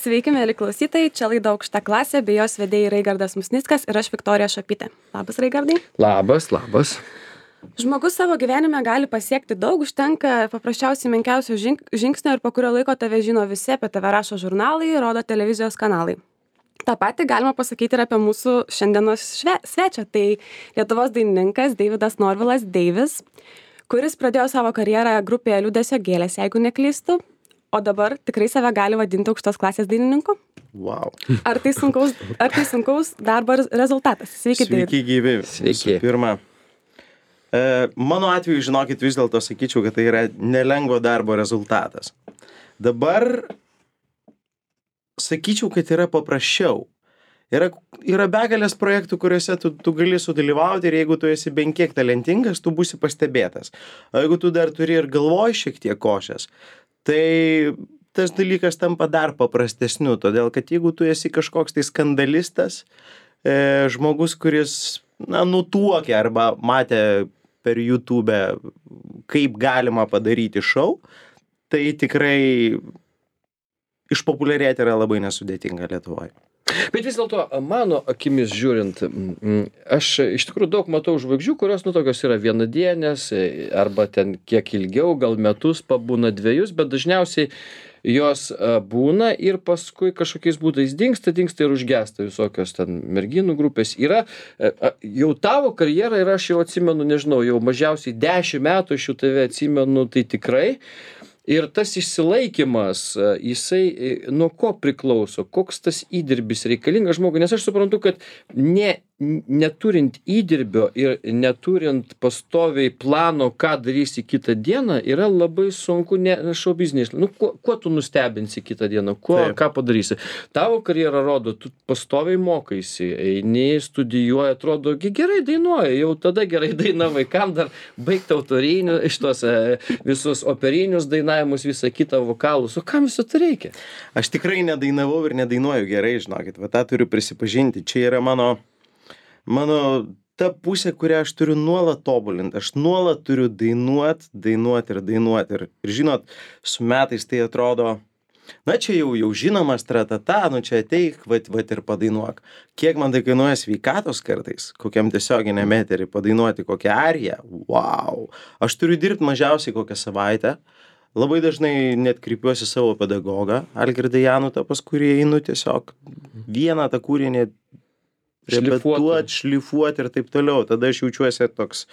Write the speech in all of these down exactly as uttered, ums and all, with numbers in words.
Sveiki, mėly klausytojai, čia laida Aukšta klasė, bei jos vedėjai Raigardas Musnickas ir aš Viktorija Šapytė. Labas, Raigardai. Labas, labas. Žmogus savo gyvenime gali pasiekti daug, užtenka paprasčiausiai menkiausio žing žingsnio ir po kurio laiko tave žino visi, apie tave rašo žurnalai, rodo televizijos kanalai. Ta pati galima pasakyti ir apie mūsų šiandienos šve svečią. Tai Lietuvos dainininkas Deividas Norvilas Deivis, kuris pradėjo savo karjerą grupėje Liūdesio gėlės, jeigu neklystu. O dabar tikrai save gali vadinti aukštos klasės dainininku? Wow. Ar tai sunkaus, ar tai sunkaus darbo rezultatas? Sveiki, Sveiki gyvi. Sveiki. Pirma, e, mano atveju, žinokit, vis dėlto sakyčiau, kad tai yra nelengvo darbo rezultatas. Dabar sakyčiau, kad yra paprasčiau. Yra, yra begalės projektų, kuriuose tu, tu gali sudalyvauti ir jeigu tu esi bent kiek talentingas, tu būsi pastebėtas. O jeigu tu dar turi ir galvoj šiek tiek košės, tai tas dalykas tampa dar paprastesniu, todėl kad jeigu tu esi kažkoks tai skandalistas, e, žmogus, kuris, na, nutuokia arba matė per YouTube, kaip galima padaryti šou, tai tikrai išpopuliarėti yra labai nesudėtinga Lietuvoje. Bet vis dėlto, mano akimis žiūrint, aš iš tikrųjų daug matau žvaigždžių, kurios, nu, tokios yra vienadienės, arba ten kiek ilgiau, gal metus pabūna dviejus, bet dažniausiai jos būna ir paskui kažkokiais būdais dingsta, dingsta ir užgesta visokios ten merginų grupės. Yra, jau tavo karjera ir aš jau atsimenu, nežinau, jau mažiausiai dešimt metų aš jau tave atsimenu, tai tikrai. Ir tas išsilaikymas, jisai nuo ko priklauso, koks tas įdirbis reikalingas žmogui, nes aš suprantu, kad ne, neturint įdirbio ir neturint pastoviai plano, ką darysi kitą dieną, yra labai sunku, ne šou biznis. Nu, kuo, kuo tu nustebinsi kitą dieną, kuo, Taip. ką padarysi. Tavo karjera rodo, tu pastoviai mokaisi, eini, studijuoji, atrodo, gerai dainuoji, jau tada gerai dainavai, kam dar baigti autorinius, šitos visus operinius dainavimus, visą kitą vokalus, o kam viso tai reikia? Aš tikrai nedainavau ir nedainuoju gerai, žinokit, va tą turiu prisipažinti. Čia yra mano, mano ta pusė, kurią aš turiu nuolat tobulinti. Aš nuolat turiu dainuot, dainuot ir dainuot. Ir, ir žinot, su metais tai atrodo, na čia jau, jau žinomas tratata, nu čia ateik, vat, vat ir padainuok. Kiek man tai kainuoja sveikatos kartais, kokiam tiesioginiam eterį padainuoti kokią ariją, wow. Aš turiu dirbti mažiausiai kokią savaitę. Labai dažnai net kreipiuosi savo pedagogą, Algirdą Janutą, pas kurį einu tiesiog vieną tą kūrinį repetuot, šlifuot ir taip toliau. Tada aš jaučiuosi toks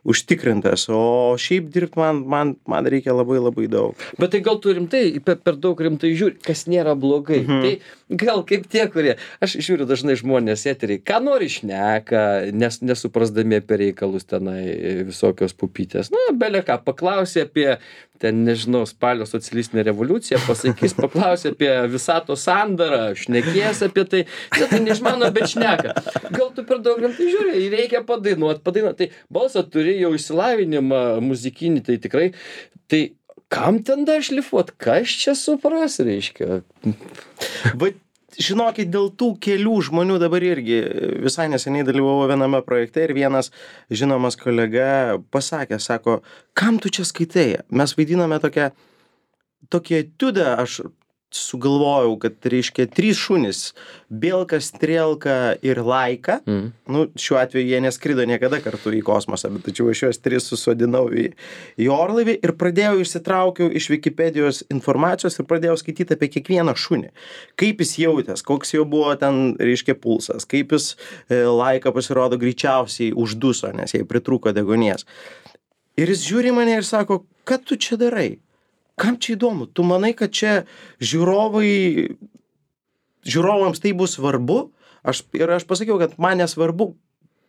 užtikrintas, o šiaip dirbti man, man, man reikia labai labai daug. Bet tai gal tu rimtai, per, per daug rimtai žiūri, kas nėra blogai. Mhm. Tai gal kaip tie, kurie, aš žiūriu dažnai žmonės eteriai, ką nori šneka, nes, nesuprasdami apie reikalus tenai visokios pupytės. Na, belė ką, paklausė apie, ten nežinau, spalio socialistinę revoliuciją, pasakys, paklausė apie visato sandarą, šnekės apie tai, ne, tai neišmano, bet šneka. Gal tu per daug rimtai žiūri, reikia padainuot, padainuot. Tai balsą turi jau išsilavinimą muzikinį, tai tikrai, tai kam ten dar šlifuot, kas čia supras, reiškia? Bet žinokit, dėl tų kelių žmonių dabar irgi visai neseniai dalyvavau viename projekte ir vienas žinomas kolega pasakė, sako, kam tu čia skaitai? Mes vaidiname tokią, tokią etiudą, aš sugalvojau, kad reiškia trys šunys, Bielka, Strielka ir Laika. Mm. Nu, šiuo atveju jie neskrido niekada kartu į kosmosą, bet tačiau aš juos tris susodinau į, į orlaivį ir pradėjau išsitraukiau iš Wikipedijos informacijos ir pradėjau skaityti apie kiekvieną šunį. Kaip jis jautės, koks jau buvo ten, reiškia, pulsas, kaip jis e, Laika pasirodo greičiausiai užduso, nes jai pritrūko deguonies. Ir jis žiūri mane ir sako, ką tu čia darai? Kam čia įdomu? Tu manai, kad čia žiūrovai, žiūrovams tai bus svarbu? Aš, ir aš pasakiau, kad man nesvarbu,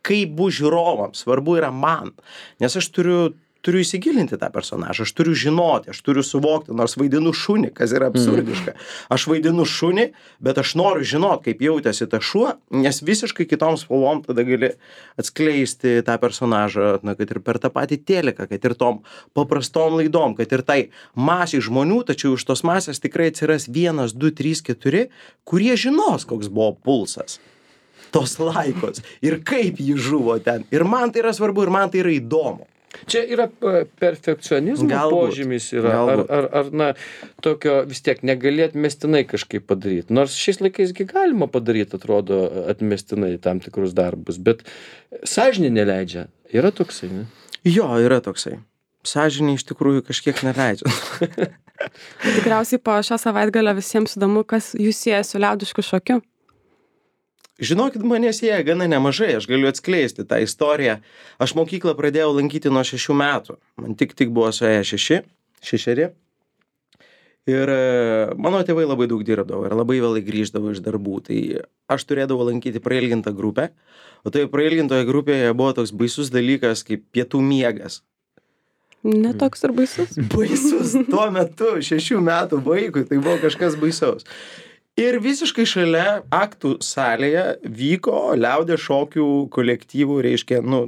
kaip bus žiūrovams, svarbu yra man. Nes aš turiu, turiu įsigilinti tą personažą, aš turiu žinoti, aš turiu suvokti, nors vaidinu šunį, kas yra absurdiška. Aš vaidinu šunį, bet aš noriu žinoti, kaip jautėsi ta šuo, nes visiškai kitom spalvom tada gali atskleisti tą personažą, na, kad ir per tą patį teliką, kad ir tom paprastom laidom, kad ir tai masiai žmonių, tačiau iš tos masės tikrai atsiras vienas, du, trys, keturi, kurie žinos, koks buvo pulsas tos Laikos ir kaip ji žuvo ten. Ir man tai yra svarbu, ir man tai yra įdomu. Čia yra p- perfekcionizmo Galbūt, požymis yra, ar, galbūt. ar, ar, na, tokio vis tiek negali atmestinai kažkaip padaryti. Nors šiais laikais gi galima padaryti, atrodo, atmestinai tam tikrus darbus, bet sąžinė neleidžia. Yra toksai, ne? Jo, yra toksai. Sąžinė iš tikrųjų kažkiek neleidžia. Tikriausiai po šio savaitgalio visiems įdomu, kas jūs sieja su liaudišku šokiu. Žinokit, mane sieja gana nemažai, aš galiu atskleisti tą istoriją. Aš mokyklą pradėjau lankyti nuo šešių metų. Man tik tik buvo suėję šeši, šešeri. Ir e, mano tėvai labai daug dirbdavo ir labai vėlai grįždavo iš darbų. Tai aš turėdavau lankyti prailgintą grupę, o toje prailgintoje grupėje buvo toks baisus dalykas kaip pietų miegas. Netoks ir baisus. Baisus tuo metu, šešių metų vaikui, tai buvo kažkas baisaus. Ir visiškai šalia aktų salėje vyko liaudės šokių kolektyvų, reiškia, nu,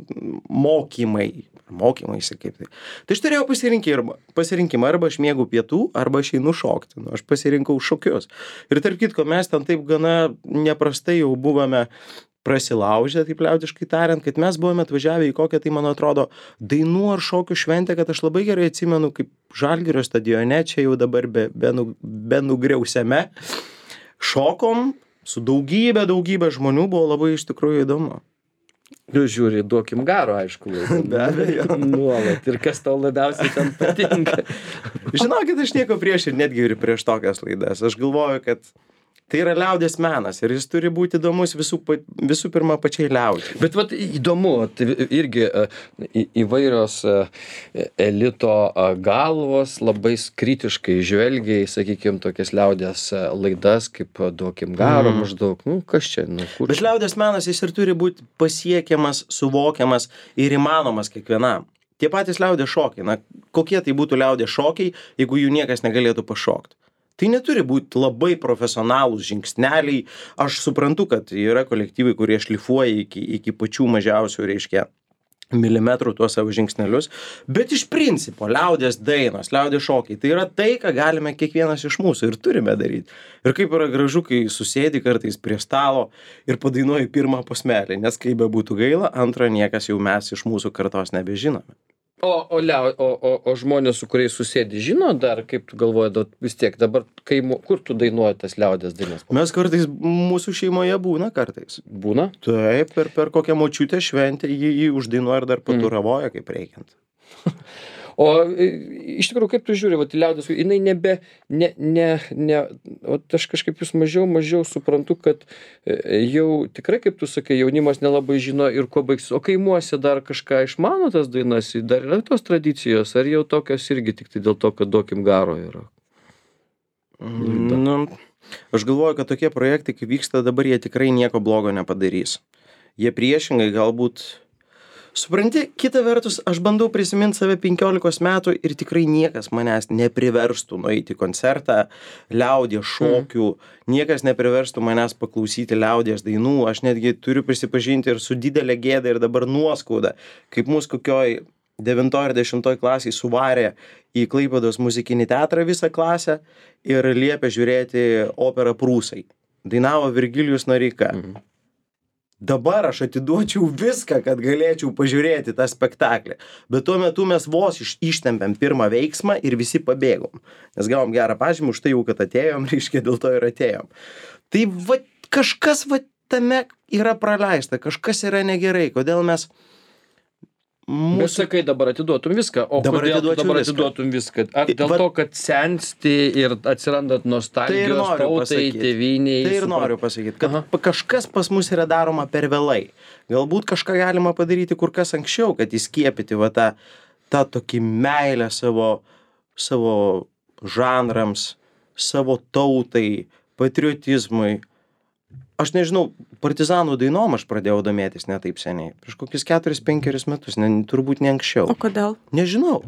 mokymai. Mokymai, kaip tai. Tai aš turėjau pasirinkimą, pasirinkimą, arba aš mėgau pietų, arba aš einu šokti. Nu, aš pasirinkau šokius. Ir tarp kitko, mes ten taip gana neprastai jau buvome prasilaužę, taip liaudiškai tariant, kad mes buvome atvažiavę į kokią, tai man atrodo, dainų ar šokių šventę, kad aš labai gerai atsimenu, kaip Žalgirio stadione, čia jau dabar be, be, nu, be nugriausiame. Šokom su daugybė, daugybė žmonių, buvo labai iš tikrųjų įdomu. Nu, žiūri, duokim garo, aišku, laiką. Be abejo. Nuolat. Ir kas tau labiausiai ten patinka. Žinokit, aš nieko prieš ir netgi ir prieš tokias laidas. Aš galvoju, kad tai yra liaudės menas ir jis turi būti įdomus visų, pa- visų pirma pačiai liaudžiai. Bet vat įdomu, vat irgi e, į- įvairios e, elito e, galvos labai kritiškai žvelgia į, sakykime, tokias liaudės e, laidas, kaip e, duokim garo Mm. maždaug. Nu, kas čia, nu, kur Bet čia? liaudės menas jis ir turi būti pasiekiamas, suvokiamas ir įmanomas kiekvienam. Tie patys liaudės šokiai, na, kokie tai būtų liaudės šokiai, jeigu jų niekas negalėtų pašokti. Tai neturi būti labai profesionalūs žingsneliai. Aš suprantu, kad yra kolektyvai, kurie šlifuoja iki, iki pačių mažiausių, reiškia, milimetrų tuos savo žingsnelius. Bet iš principo, liaudės dainos, liaudės šokiai, tai yra tai, ką galime kiekvienas iš mūsų ir turime daryti. Ir kaip yra gražu, kai susėdi kartais prie stalo ir padainuoji pirmą posmelį, nes kaip be būtų gaila, antrą niekas jau mes iš mūsų kartos nebežinome. O, o, liau, o, o, o žmonės, su kuriais susėdi, žino dar, kaip tu galvoji, da- vis tiek dabar, kai, mu- kur tu dainuoji tas liaudės dainas? Mes kartais, mūsų šeimoje būna kartais. Būna? Taip, per, per kokią močiutę šventę jį, jį uždainuoja ir dar paturavoja kaip reikiant. O e, iš tikrųjų, kaip tu žiūri, vat, į liaudės, jinai nebe, ne, ne, ne, o aš kažkaip vis mažiau, mažiau suprantu, kad e, jau tikrai, kaip tu sakai, jaunimas nelabai žino ir kuo baigsis. O kaimuose dar kažką išmano tas dainas, dar yra tos tradicijos, ar jau tokios irgi tik tai dėl to, kad duokim garo yra? Nu, aš galvoju, kad tokie projektai, kaip vyksta dabar, jie tikrai nieko blogo nepadarys. Jie priešingai galbūt... Supranti, kita vertus, aš bandau prisiminti save penkiolikos metų ir tikrai niekas manęs nepriverstų nueiti į koncertą, liaudės šokių, niekas nepriverstų manęs paklausyti liaudės dainų. Aš netgi turiu prisipažinti ir su didelė gėda ir dabar nuoskauda, kaip mus kokioj devintoj ar dešimtoj klasiai suvarė į Klaipėdos muzikinį teatrą visą klasę ir liepė žiūrėti operą Prūsai. Dainavo Virgilijus Noreika. Mhm. Dabar aš atiduočiau viską, kad galėčiau pažiūrėti tą spektaklį. Bet tuo metu mes vos iš, ištempėm pirmą veiksmą ir visi pabėgom. Nes gavom gerą pažymį už tai jau, kad atėjom, reiškia, dėl to ir atėjom. Tai va, kažkas va tame yra praleista, kažkas yra negerai. Kodėl mes... Mūsų... Bet sakai, dabar atiduotum viską. O Dabar kodėl tu atiduočiau dabar viską. atiduotum viską? Ar dėl Va- to, kad sensti ir atsirandat Tai ir nostalgijos noriu tautai, pasakyti. tėvyniai? Tai ir supra- noriu pasakyti, kad Aha. pa- kažkas pas mus yra daroma per vėlai. Galbūt kažką galima padaryti kur kas anksčiau, kad įskiepyti va tą, tą tokį meilę savo, savo žanrams, savo tautai, patriotizmui. Aš nežinau, partizanų dainom aš pradėjau domėtis ne taip seniai. Prieš kokius keturis penkerius metus, ne, turbūt ne anksčiau. O kodėl? Nežinau.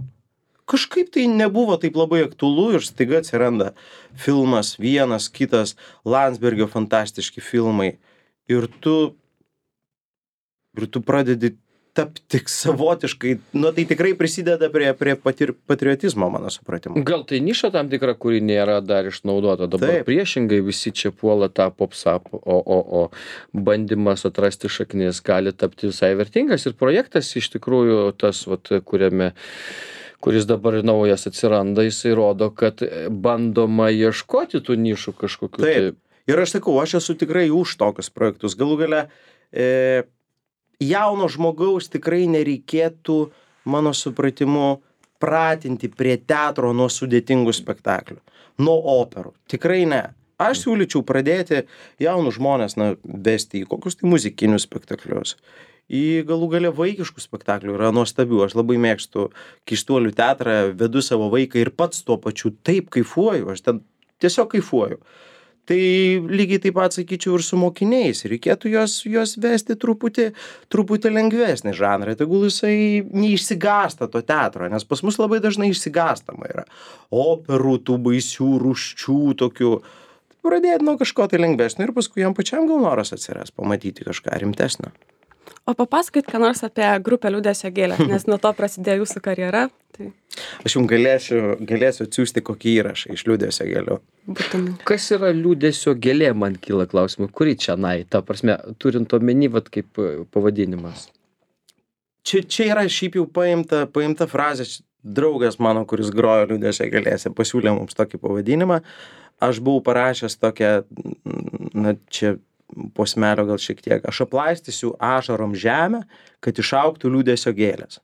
Kažkaip tai nebuvo taip labai aktualu ir staiga atsiranda filmas, vienas, kitas, Landsbergio fantastiški filmai. Ir tu, ir tu pradedi tapti savotiškai, nu tai tikrai prisideda prie, prie patir, patriotizmo, mano supratimu. Gal tai niša tam tikra, kuri nėra dar išnaudota. Dabar Taip. priešingai visi čia puola tą popsap, o, o, o bandymas atrasti šaknis gali tapti visai vertingas. Ir projektas iš tikrųjų tas, vat, kuriame kuris dabar naujas atsiranda, jisai rodo, kad bandoma ieškoti tų nišų kažkokių. Taip. Ir aš sakau, aš esu tikrai už tokius projektus. Galų gale, e, jauno žmogaus tikrai nereikėtų, mano supratimu, pratinti prie teatro nuo sudėtingų spektaklių, nuo operų. Tikrai ne. Aš siūlyčiau pradėti jaunus žmonės, na, vesti į kokius tai muzikinius spektaklius. Į galų gale vaikiškų spektaklių yra nuostabių. Aš labai mėgstu Keistuolių teatrą, vedu savo vaiką ir pats tuo pačiu taip kaifuoju. Aš ten tiesiog kaifuoju. Tai lygiai taip pat sakyčiau ir su mokiniais. Reikėtų juos, juos vesti truputį, truputį lengvesnį žanrą. Tegul jisai neišsigąsta to teatro, nes pas mus labai dažnai išsigąstama yra. Operų, tų baisių, rūsčių tokių. Pradėti nuo kažko tai lengvesnio ir paskui jam pačiam gal noras atsiras pamatyti kažką rimtesnio. O papasakokit, ką nors apie grupę Liūdesio gėlės, nes nuo to prasidėjo jūsų karjera. Tai... Aš jums galėsiu, galėsiu atsiųsti kokį įrašą iš Liūdesio gėlių. Būtinai. Kas yra Liūdesio gėlė, man kyla klausimų. Kuri čia nai, ta prasme, turint omeny, vat kaip pavadinimas? Čia, čia yra šiaip jau paimta, paimta frazė. Draugas mano, kuris grojo Liūdesio gėlėse, pasiūlė mums tokį pavadinimą. Aš buvau parašęs tokią, na čia posmelio gal šiek tiek, aš aplaistysiu ašarom žemę, kad išaugtų liūdesio gėlės.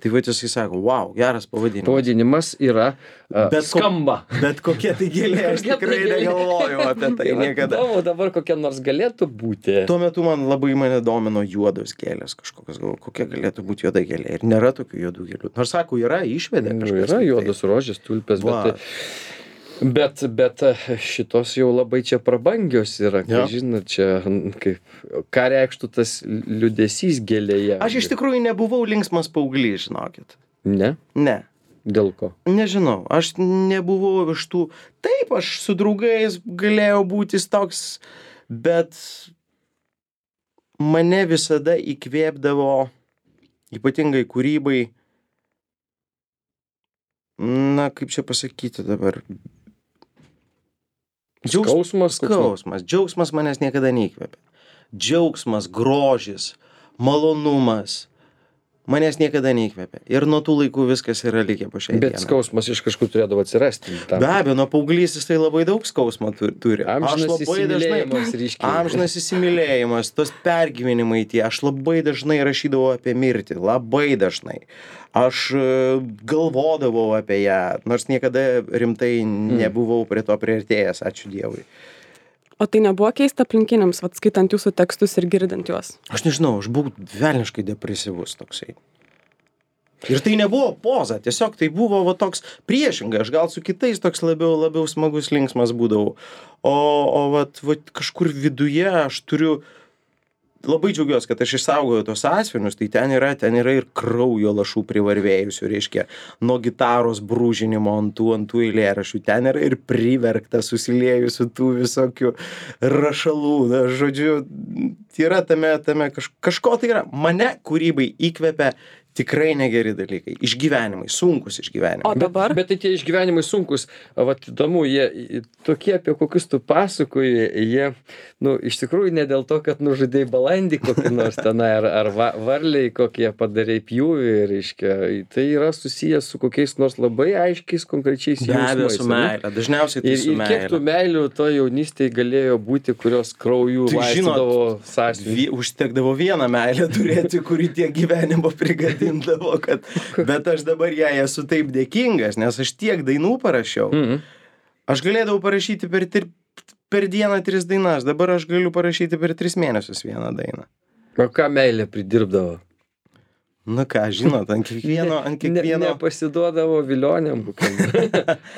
Tai va jisai sako, wow, geras pavadinimas. Pavadinimas yra uh, bet skamba. Ko, bet kokia tai gėlė, aš tikrai negalvojau apie tai niekada. O dabar kokia nors galėtų būti. Tuo metu man labai mane domino juodos gėlės kažkokios, gal, kokia galėtų būti juoda gėlė. Ir nėra tokių juodų gėlių. Nors sako, yra, išvedė kažkas. Yra juodos rožės, tulpės, bet... Bet, bet šitos jau labai čia prabangios yra, kai žinot, čia kaip, ką reikštų tas liūdesys gėlėje. Aš iš tikrųjų nebuvau linksmas paauglys, žinokit. Ne? Ne. Dėl ko? Nežinau, aš nebuvau iš tų, taip, aš su draugais galėjau būti toks, bet mane visada įkvėpdavo, ypatingai kūrybai, na, kaip čia pasakyti dabar, Džiaugs... Skausmas? Skausmas. Džiaugsmas manęs niekada neįkvėpė. Džiaugsmas, grožis, malonumas manęs niekada neįkvėpė. Ir nuo tų laikų viskas yra likę po šiai dienai. Bet skausmas iš kažkur turėdavo atsirasti. Tam. Be abejo, nuo paauglystės tai labai daug skausmo turi. Amžinas įsimylėjimas ryškiai. Amžinas įsimylėjimas, tos pergyvenimai tie. Aš labai dažnai rašydavau apie mirtį. Labai dažnai. Aš galvodavau apie ją, nors niekada rimtai nebuvau prie to priartėjęs, ačiū Dievui. O tai nebuvo keista aplinkiniams, vat skaitant jūsų tekstus ir girdint juos? Aš nežinau, aš buvau velniškai depresyvus toksai. Ir tai nebuvo poza, tiesiog tai buvo va toks priešingai, aš gal su kitais toks labiau, labiau smagus linksmas būdavau. O, o vat, vat kažkur viduje aš turiu... Labai džiaugiuosi, kad aš išsaugojau tos sąsiuvinius, tai ten yra, ten yra ir kraujo lašų privarvėjusių, reiškia, nuo gitaros brūžinimo ant tų, ant tų eilėraščių, ten yra ir priverkta susiliejusių tų visokių rašalų, na, žodžiu, yra tame, tame kaž, kažko tai yra. Mane kūrybai įkvepia tikrai negeri dalykai, išgyvenimai, sunkus išgyvenimai. O dabar? Bet, bet tai tie išgyvenimai sunkus, vat įdomu, jie tokie, apie kokius tu pasakoji, jie, nu, iš tikrųjų ne dėl to, kad nužudai balandį kokį nors tenai, ar, ar va, varliai kokie padarei pjūvį, reiškia, tai yra susijęs su kokiais nors labai aiškiais, konkrečiais jausmais. Be abejo, su meilė, dažniausiai tai ir, su meilė. Ir kiek tų meilių to jaunystėje galėjo būti, kurios kraujų tai, laistydavo sąsiuvinį? Užtekdavo vieną meilę turėti, kuri tiek gyvenimo prigadė. Dindavo, kad, bet aš dabar jai esu taip dėkingas, nes aš tiek dainų parašiau. Mm-hmm. Aš galėdavau parašyti per, tir, per dieną tris dainas, dabar aš galiu parašyti per tris mėnesius vieną dainą. O ką meilė pridirbdavo? Na ką, žinot, ant kiekvieno... Ant kiekvieno... Ne, nepasiduodavo vilionėm kokiam.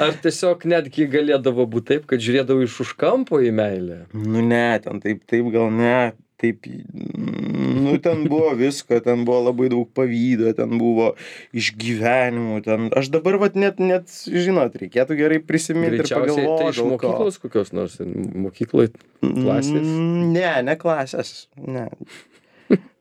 Ar tiesiog netgi galėdavo būti taip, kad žiūrėdavo iš už kampo į meilę? Nu ne, ten taip, taip gal ne... Taip, nu, ten buvo visko, ten buvo labai daug pavydo, ten buvo išgyvenimų, ten, aš dabar, vat, net, net, žinot, reikėtų gerai prisiminti ir pagalvoti. Tai iš mokyklos kokios nors, mokykloj klasės? Ne, ne klasės, ne.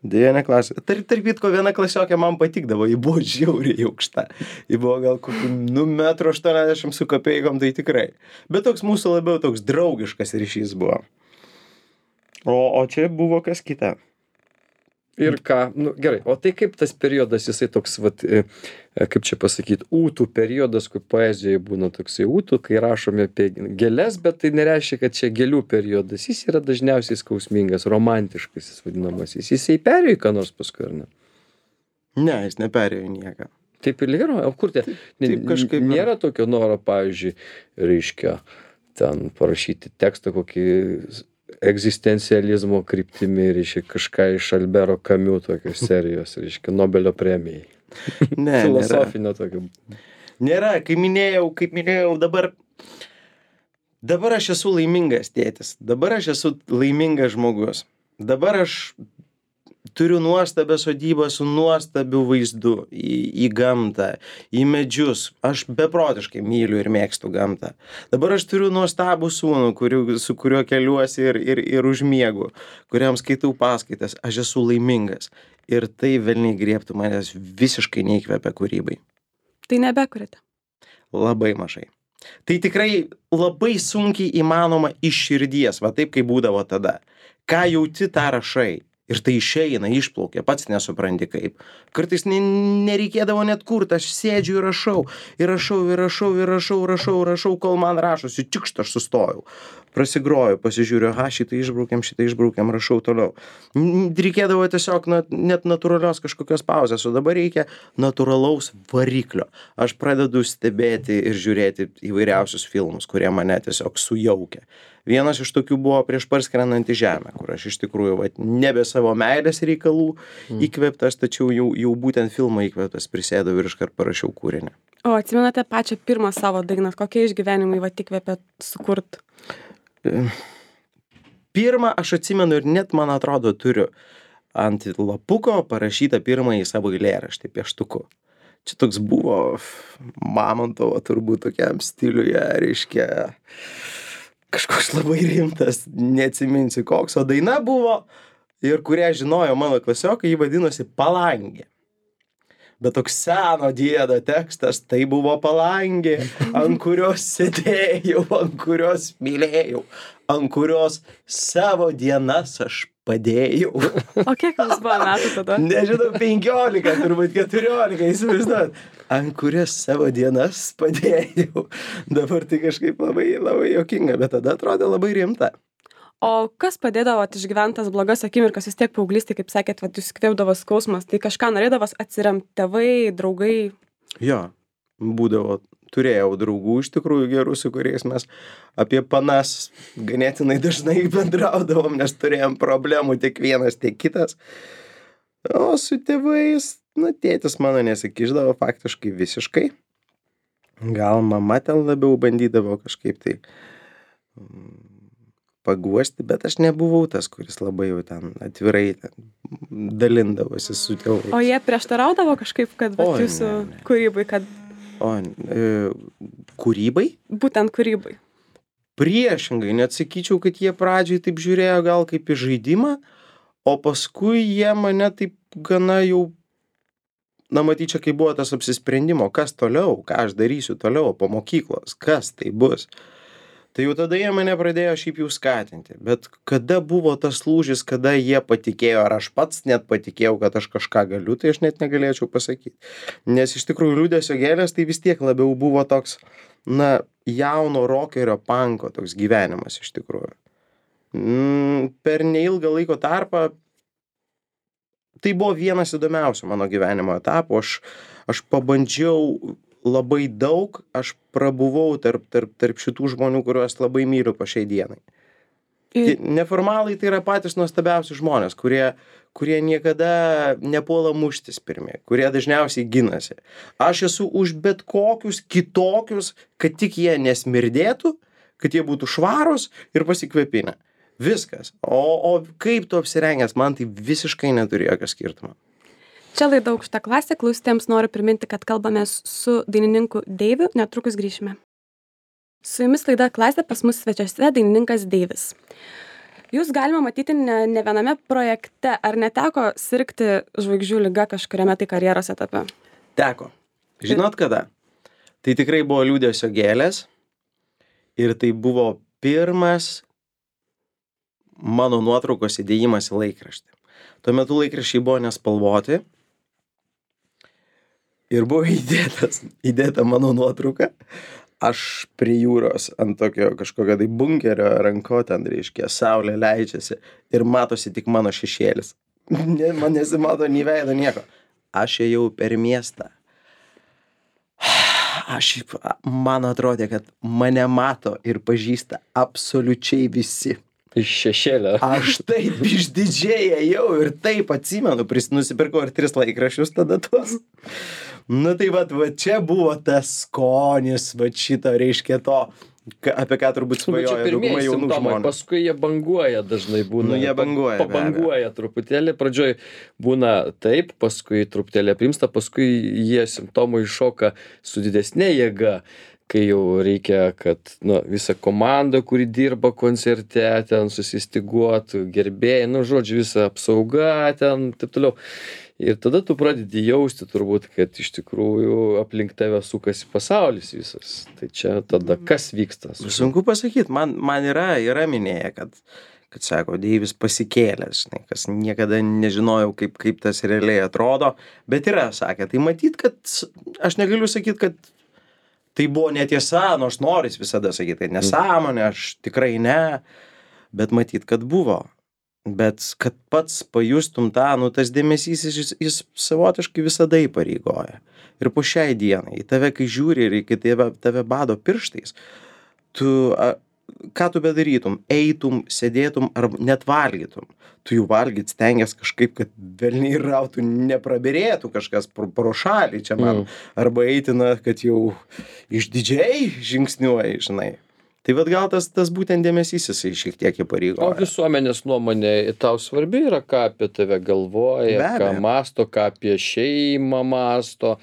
Devinė klasė. Tarp, tarp kitko, viena klasiokė man patikdavo, ji buvo žiauriai aukšta. Ji buvo gal kokių, nu, metro aštuoniasdešimt su kapeikom, tai tikrai. Bet toks mūsų labiau toks draugiškas ryšys buvo. O, o čia buvo kas kita. Ir ką, nu gerai, o tai kaip tas periodas, jisai toks, vat, e, kaip čia pasakyti, ūtų periodas, kur poezijoje būna toksai ūtų, kai rašome apie gėles, bet tai nereiškia, kad čia gėlių periodas, jis yra dažniausiai skausmingas, romantiškas, jis vadinamasis, jisai perėjo į ką nors paskui, ar ne? Ne, jis neperėjo į nieką. Taip ir yra, o kur tie, Taip kažkaip yra. nėra tokio noro, pavyzdžiui, reiškia, ten parašyti tekstą kokį egzistencializmo kryptimi, reiškia, kažką iš Albero Camus tokios serijos, reiškia, Nobelio premijai. Ne, Filosofinio tokio. Nėra, kaip minėjau, kaip minėjau, dabar, dabar aš esu laimingas tėtis, dabar aš esu laimingas žmogus, dabar aš turiu nuostabią sodybą su nuostabiu vaizdu į, į gamtą, į medžius, aš beprotiškai myliu ir mėgstu gamtą. Dabar aš turiu nuostabų sūnų, kuriu, su kuriuo keliuosi ir, ir, ir užmiegu, kuriam skaitau paskaitas, aš esu laimingas. Ir tai velniai griebtų manęs visiškai neįkvepia kūrybai. Tai nebekuriate. Labai mažai. Tai tikrai labai sunkiai įmanoma iš širdies, va taip kaip būdavo tada. Ką jauti, tą rašai. Ir tai išeina, išplaukia, pats nesupranti kaip. Kartais ne, nereikėdavo net kurt, aš sėdžiu ir rašau, ir rašau, ir rašau, ir rašau, rašau, rašau, kol man rašosi, čiukšt, aš sustojau. Prasigroju, pasižiūriu, aha, šitą išbraukiam, šitą išbraukiam, rašau toliau. Reikėdavo tiesiog na, net natūralios kažkokios pauzės, o dabar reikia natūralaus variklio. Aš pradedu stebėti ir žiūrėti įvairiausius filmus, kurie mane tiesiog sujaukia. Vienas iš tokių buvo Prieš parskrendant į žemę, kur aš iš tikrųjų va, nebe savo meilės reikalų įkvėptas, tačiau jau, jau būtent filmą įkvėptas prisėdau ir iškart parašiau kūrinį. O atsimenate pačią pirmą savo dainą, kokie išgyvenimai va įkvėpė sukurt? Pirmą aš atsimenu ir net, man atrodo, turiu ant lapuko parašytą pirmąjį savo eilėraštį pieštuku. Čia toks buvo Mamontovo turbūt tokiam stiliuje, reiškia, kažkoks labai rimtas, neatsiminsiu koks, o daina buvo, ir kurią žinojo mano klasiokai, jį vadinosi Palangė. Bet toks seno diedo tekstas, tai buvo palangė, ant kurios sėdėjau, ant kurios mylėjau, ant kurios savo dienas aš padėjau. O kiek jums buvo metų tada? Nežinau, penkiolika, turbūt keturiolika, įsivaizduot. Ant kurias savo dienas padėjau. Dabar tai kažkaip labai, labai juokinga, bet tada atrodė labai rimta. O kas padėdavo išgyventi tas blogas akimirkas, vis tiek paauglystėj, kaip sakėt, vat jūs kvėpdavo skausmas, tai kažką norėdavos atsiremti tėvai, draugai? Jo, būdavo, turėjau draugų iš tikrųjų gerų, su kuriais mes apie panas ganėtinai dažnai bendraudavom, nes turėjom problemų tiek vienas, tiek kitas. O su tėvais, na, tėtis mano nesikišdavo faktiškai visiškai. Gal mama ten labiau bandydavo kažkaip tai paguosti, bet aš nebuvau tas, kuris labai jau ten atvirai ten dalindavosi su tėvais. O jie prieštaraudavo kažkaip, kad vat, O, jūsų ne, ne. kūrybai, kad O, e, kūrybai? būtent kūrybai? Priešingai, net sakyčiau, kad jie pradžiai taip žiūrėjo gal kaip į žaidimą, o paskui jie mane taip gana jau, na matyčia, kai buvo tas apsisprendimo, kas toliau, ką aš darysiu toliau po mokyklos, kas tai bus. Tai jau tada jie mane pradėjo šiaip jau skatinti. Bet kada buvo tas lūžis, kada jie patikėjo, ar aš pats net patikėjau, kad aš kažką galiu, tai aš net negalėčiau pasakyti. Nes iš tikrųjų Liūdesio gėlės tai vis tiek labiau buvo toks, na, jauno rokerio panko toks gyvenimas iš tikrųjų. Mm, per neilgą laiko tarpą tai buvo vienas įdomiausių mano gyvenimo etapų. Aš, aš pabandžiau labai daug, aš prabuvau tarp, tarp, tarp šitų žmonių, kuriuos labai myliu po šiai dienai. Ir... Neformalai tai yra patys nuostabiausi žmonės, kurie, kurie niekada nepuola muštis pirmi, kurie dažniausiai ginasi. Aš esu už bet kokius kitokius, kad tik jie nesmirdėtų, kad jie būtų švarūs ir pasikvėpinę. Viskas. O, o kaip tu apsirengęs, man tai visiškai neturi jokio skirtumo. Čia laida Aukšta klasė, klausytėms noriu priminti, kad kalbamės su dainininku Deiviu, netrukus grįšime. Su jumis laida Klasė, pas mus svečiuose dainininkas Deivis. Jūs galima matyti ne, ne viename projekte. Ar neteko sirgti žvaigždžių liga kažkuriame tai karjeros etape? Teko. Žinot kada? Tai tikrai buvo liūdesio gėlės ir tai buvo pirmas mano nuotraukos įdėjimas į laikraštį. Tuo metu laikraščiai buvo nespalvoti ir buvo įdėtas, įdėta mano nuotrauka. Aš prie jūros ant tokio kažkokio tai bunkerio ranko ten, reiškia, saulė leidžiasi ir matosi tik mano šešėlis. Ne, man nesimato nei veido nieko. Aš ėjau per miestą. Aš, man atrodė, kad mane mato ir pažįsta absoliučiai visi. Iš šešėlio. Aš taip išdidžiai ėjau ir taip atsimenu, pris, nusipirkau ir tris laikraščius tada tuos. Nu tai vat, va čia buvo tas skonis, va šito, reiškia to, ka, apie ką turbūt svajoja dauguma jaunų žmonių. Paskui jie banguoja dažnai būna. Nu, jie banguoja. Pabanguoja truputėlį, pradžioj būna taip, paskui truputėlį aprimsta, paskui jie simptomai iššoka su didesnė jėga, kai jau reikia, kad nu, visa komanda, kuri dirba koncerte, ten susistiguotų, gerbėjai, nu, žodžiu, visa apsauga, ten, taip toliau. Ir tada tu pradedi jausti turbūt, kad iš tikrųjų aplink tave sukasi pasaulis visas. Tai čia tada kas vyksta? Sunku pasakyti, man, man yra, yra minėję, kad, kad sako, Deivis pasikėlęs, žinai, kas niekada nežinojau, kaip, kaip tas realiai atrodo, bet yra, sakė, tai matyt, kad aš negaliu sakyti, kad tai buvo netiesa, nors noris visada sakyti, kad nesąmonė, aš tikrai ne, bet matyt, kad buvo. Bet kad pats pajustum tą, nu tas dėmesys, jis, jis savotiškai visada įpareigoja. Ir po šiai dienai, į tave, kai žiūri ir kai tave, tave bado pirštais, tu, a, ką tu bedarytum, eitum, sėdėtum ar net valgytum. Tu jų valgyt stengias kažkaip, kad velniai rautų, neprabirėtų kažkas pro, pro šalį čia man. Mm. Arba eitina, kad jau išdidžiai žingsniuoji, žinai. Tai vat gal tas, tas būtent dėmesys jisai šiek tiek įpareigoja. O visuomenės nuomonė tau svarbi yra, ką apie tave galvoja, ką masto, ką apie šeimą masto,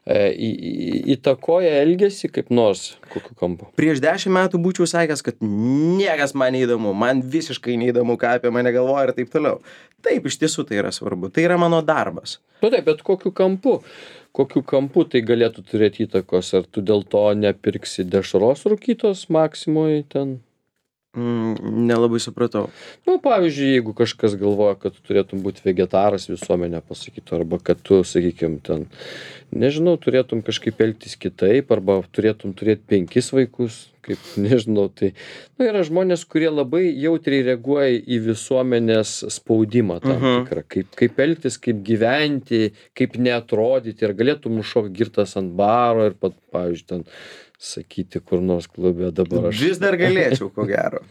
e, į, į, įtakoja elgesį kaip nors, kokiu kampu? Prieš dešimt metų būčiau sakęs, kad niekas man neįdomu, man visiškai neįdomu, ką apie mane galvoja ir taip toliau. Taip, iš tiesų tai yra svarbu, tai yra mano darbas. Nu taip, bet kokiu kampu? Kokiu kampu tai galėtų turėti įtakos? Ar tu dėl to nepirksi dešros rūkytos Maksimoj ten? Mm, nelabai supratau. Nu, pavyzdžiui, jeigu kažkas galvoja, kad tu turėtum būti vegetaras, visuomenė pasakytų, arba kad tu, sakykim, ten, nežinau, turėtum kažkaip elgtis kitaip, arba turėtum turėti penkis vaikus, kaip, nežinau, tai, nu, yra žmonės, kurie labai jautriai reaguoja į visuomenės spaudimą tam Mhm. tikrą, kaip, kaip elgtis, kaip gyventi, kaip neatrodyti, ir galėtum užšokti girtas ant baro ir, pat, pavyzdžiui, ten, sakyti kur nors klube dabar aš. Vis dar galėčiau, ko gero.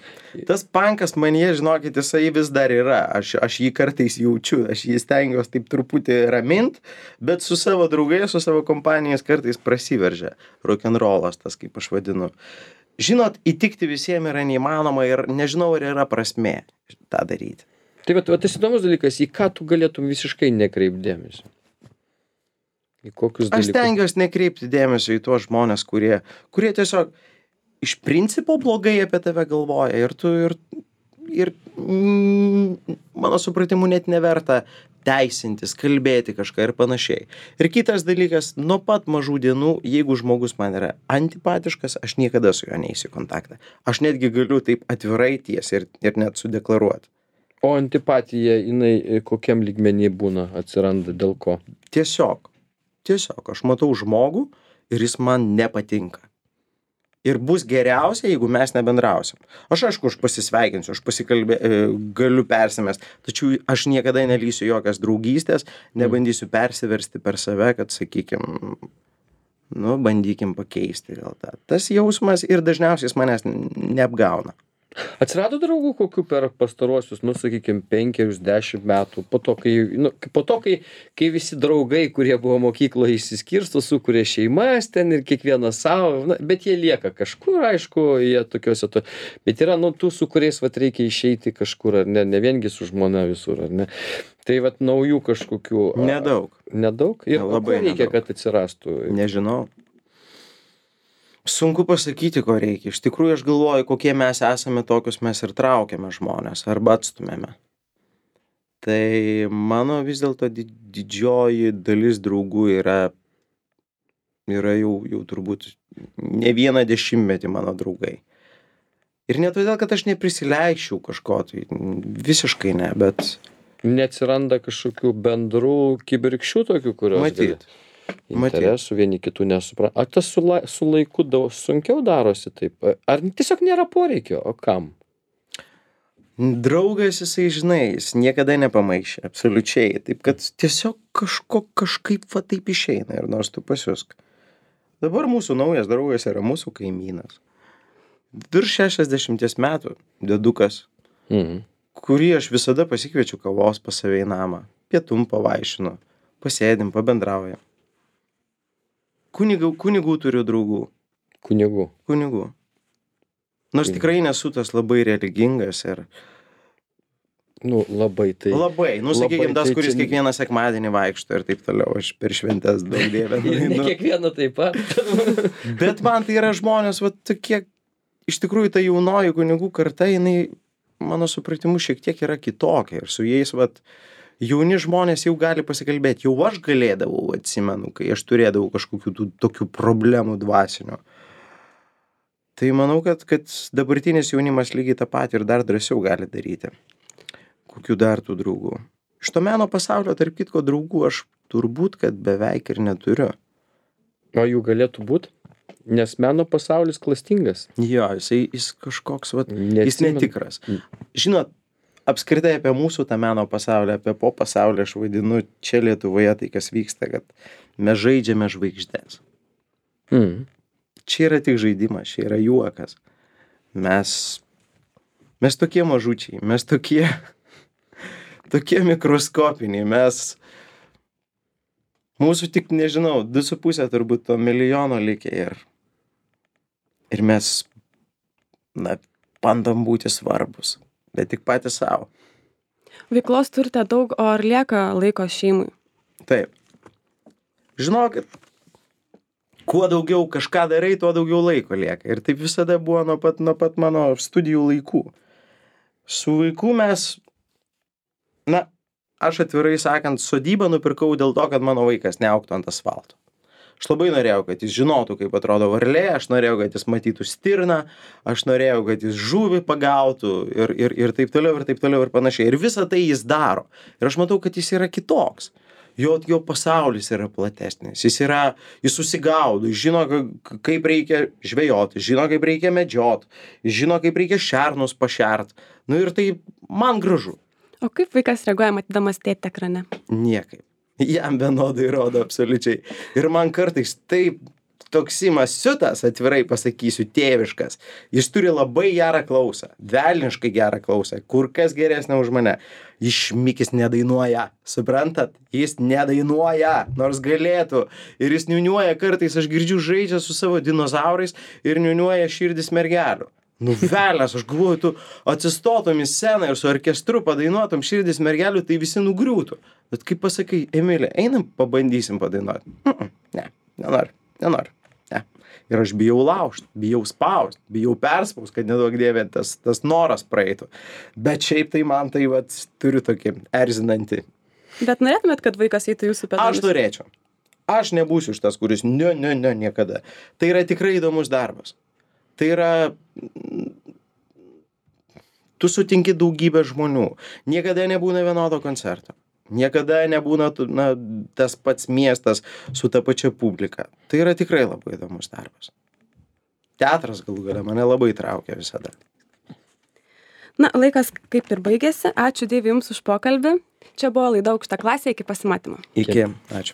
Tas pankas manyje, žinokit, jisai vis dar yra. Aš, aš jį kartais jaučiu, aš jį stengiuosi taip truputį ramint, bet su savo draugais, su savo kompanijais kartais prasiveržia. Rock'n'rollas, tas kaip aš vadinu. Žinot, įtikti visiems yra neįmanoma ir nežinau, ar yra prasmė tą daryti. Tai va, tas įdomus dalykas, į ką tu galėtum visiškai nekreipdėmėsi? Į kokius dalykus? Aš stengiuosi nekreipti dėmesio į tuos žmonės, kurie, kurie tiesiog iš principo blogai apie tave galvoja ir tu ir, ir mm, mano supratimu net neverta teisintis, kalbėti kažką ir panašiai. Ir kitas dalykas, nuo pat mažų dienų, jeigu žmogus man yra antipatiškas, aš niekada su juo neįsiu kontaktą. Aš netgi galiu taip atvirai tiesiai ir, ir net sudeklaruoti. O antipatija, jinai kokiam lygmenį būna, atsiranda dėl ko? Tiesiog. Tiesiog aš matau žmogų ir jis man nepatinka. Ir bus geriausia, jeigu mes nebendrausim. Aš aišku, aš pasisveikinsiu, aš pasikalbė, galiu persimest, tačiau aš niekada nelysiu jokias draugystės, nebandysiu persiversti per save, kad, sakykim, nu, bandykim pakeisti gal tą. Tas jausmas ir dažniausiai jis manęs neapgauna. Atsirado draugų kokių per pastaruosius, nu, sakykim, penkerius, dešimt metų, po to, kai, nu, po to, kai, kai visi draugai, kurie buvo mokykloje išsiskirsto, sukuria šeimas ten ir kiekvienas savo, na, bet jie lieka kažkur, aišku, jie tokiuose, to, bet yra, nu, tų, su kuriais, vat, reikia išeiti kažkur, ar ne, ne viengi su žmona visur, ar ne. Tai, vat, naujų kažkokių. Nedaug. Nedaug? Ir Labai ko reikia, nedaug. kad atsirastų? Nežinau. Sunku pasakyti, ko reikia. Iš tikrųjų, aš galvoju, kokie mes esame, tokius mes ir traukiame žmonės arba atstumėme. Tai mano vis dėlto di- didžioji dalis draugų yra, yra jau, jau turbūt ne vieną dešimtmetį mano draugai. Ir ne todėl, kad aš neprisileikščiau kažko, tai visiškai ne, bet Neatsiranda kažkokių bendrų kibirkščių tokių, kurios matyt. gali- interesų vieni kitų nesupranta. Ar tas su, lai, su laiku daug sunkiau darosi taip? Ar tiesiog nėra poreikio, o kam? Draugas jisai, žinai, jis niekada nepamaišė, absoliučiai. Taip, kad tiesiog kažko kažkaip va taip išeina ir nors tu pasiusk. Dabar mūsų naujas draugas yra mūsų kaimynas. Virš šešiasdešimties metų dedukas, Mhm. kurį aš visada pasikviečiu kavos pas save į namą. Pietum pavaišinu, pasėdim, pabendraujam. Kunigų, kunigų turiu draugų. Kunigų. Kunigų. Nors tikrai nesu tas labai religingas ir Nu, labai tai. labai, nu labai, sakykime, tas, tai kuris čia- kiekvieną sekmadienį vaikšto ir taip toliau, aš per šventes daug dievę. Ne nueinu. kiekvieną taip pat. Bet man tai yra žmonės, va tokie, iš tikrųjų ta jaunoji kunigų karta, jinai, mano supratimu, šiek tiek yra kitokia ir su jais, va, jauni žmonės jau gali pasikalbėti, jau aš galėdavau, atsimenu, kai aš turėdavau kažkokių tų, tokių problemų dvasinių. Tai manau, kad, kad dabartinis jaunimas lygiai tą patį ir dar drąsiau gali daryti. Kokių dar tų draugų? Iš to meno pasaulio, tarp kitko, draugų aš turbūt, kad beveik ir neturiu. O jų galėtų būti? Nes meno pasaulis klastingas. Jo, jisai, jis kažkoks, vat, jis Neatsimenu. netikras. Žinot, apskritai apie mūsų tą meno pasaulį, apie po pasaulį aš vadinu čia Lietuvoje tai, kas vyksta, kad mes žaidžiame žvaigždės. Mhm. Čia yra tik žaidimas, čia yra juokas. Mes, mes tokie mažučiai, mes tokie, tokie mikroskopiniai, mes, mūsų tik, nežinau, du su pusė turbūt to milijono likę ir, ir mes, na, bandom būti svarbus, bet tik patys savo. Veiklos turite daug, o ar lieka laiko šeimai? Taip. Žinokit, kuo daugiau kažką darai, tuo daugiau laiko lieka. Ir taip visada buvo nuo pat, nuo pat mano studijų laikų. Su vaiku mes, na, aš atvirai sakant, sodybą nupirkau dėl to, kad mano vaikas neaugtų ant asfalto. Aš labai norėjau, kad jis žinotų, kaip atrodo varlė, aš norėjau, kad jis matytų stirną, aš norėjau, kad jis žuvį pagautų ir, ir, ir taip toliau, ir taip toliau, ir panašiai. Ir visą tai jis daro. Ir aš matau, kad jis yra kitoks. Jo, jo pasaulis yra platesnis. Jis yra, jis susigaudo, jis žino, ka- kaip reikia žvejoti, žino, kaip reikia medžioti, jis žino, kaip reikia šernus pašert. Nu ir tai man gražu. O kaip vaikas reaguoja matydamas tėtį ekrane? Niekaip. Jam vienodai rodo absoliučiai. Ir man kartais taip toks imas siutas, atvirai pasakysiu, tėviškas. Jis turi labai gerą klausą, velniškai gerą klausą, kur kas geresnė už mane. Jis šmikis nedainuoja, suprantat? Jis nedainuoja, nors galėtų. Ir jis niuniuoja kartais, aš girdžiu, žaidžia su savo dinozaurais ir niuniuoja širdis mergelių. Nu velės, aš galvoju, tu atsistotum į sceną ir su orkestru padainuotum širdis mergelių, tai visi nugriūtų. Bet kaip pasakai, Emilė, einam pabandysim padainuoti. Mm -mm, ne, nenoriu, nenoriu. Ne. Ir aš bijau laužt, bijau spaust, bijau perspaust, kad nedaug dievė tas, tas noras praeitų. Bet šiaip tai man tai vat, turiu tokį erzinantį. Bet norėtumėt, kad vaikas eitų jūsų pedalus? Aš norėčiau. Aš nebūsiu šitas, kuris ne, ne, ne, niekada. Tai yra tikrai įdomus darbas. Tai yra, tu sutinki daugybę žmonių. Niekada nebūna vienodo koncerto. Niekada nebūna tu- na, tas pats miestas su ta pačia publika. Tai yra tikrai labai įdomus darbas. Teatras galų gale mane labai traukia visada. Na, laikas kaip ir baigėsi. Ačiū Dievui Jums už pokalbį. Čia buvo laida Aukšta klasė, iki pasimatymo. Iki. Ačiū.